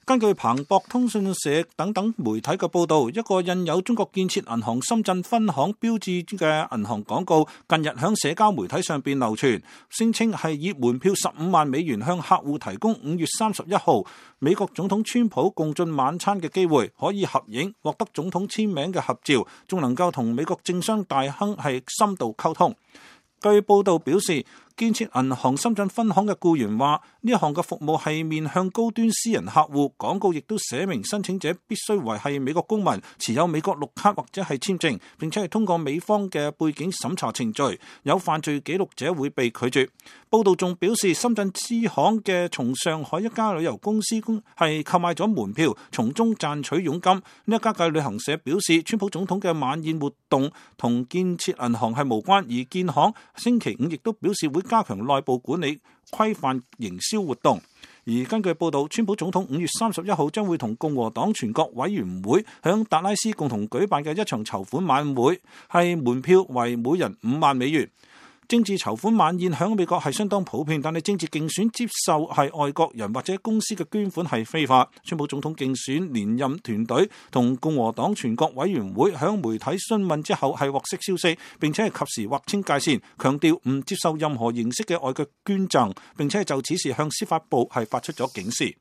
根據彭博通訊社等媒體嘅報道，一個印有中國建設銀行深圳分行標誌嘅銀行廣告近日響社交媒體上邊流傳，聲稱係以門票15萬美元向客戶提供5月31號美國總統川普共進晚餐嘅機會，可以合影，獲得總統簽名嘅合照，仲能夠同美國政商大亨係深度溝通。據報道表示，建設銀行深圳分行嘅僱員話，呢一項嘅服務係面向高端私人客戶，廣告亦都寫明申請者必須為係美國公民，持有美國綠卡或者係簽證，並且係通過美方嘅背景審查程序，有犯罪記錄者會被拒絕。報道仲表示，深圳支行嘅從上海一家旅遊公司係購買咗門票，從中賺取佣金。呢一家嘅旅行社表示，川普總統嘅晚宴活動同建設銀行係無關，而建行星期五亦都表示會加強內部管理，規範營銷活動。而根據報道，川普總統5月31號將會同共和黨全國委員會響達拉斯共同舉辦嘅一場籌款晚會，係門票為每人5萬美元。政治籌款晚宴響美國係相當普遍，但係政治競選接受係外國人或者公司嘅捐款係非法。川普總統競選連任團隊同共和黨全國委員會響媒體詢問之後係獲悉消息，並且係及時劃清界線，強調唔接受任何形式嘅外國捐贈，並且係就此事向司法部係發出咗警示。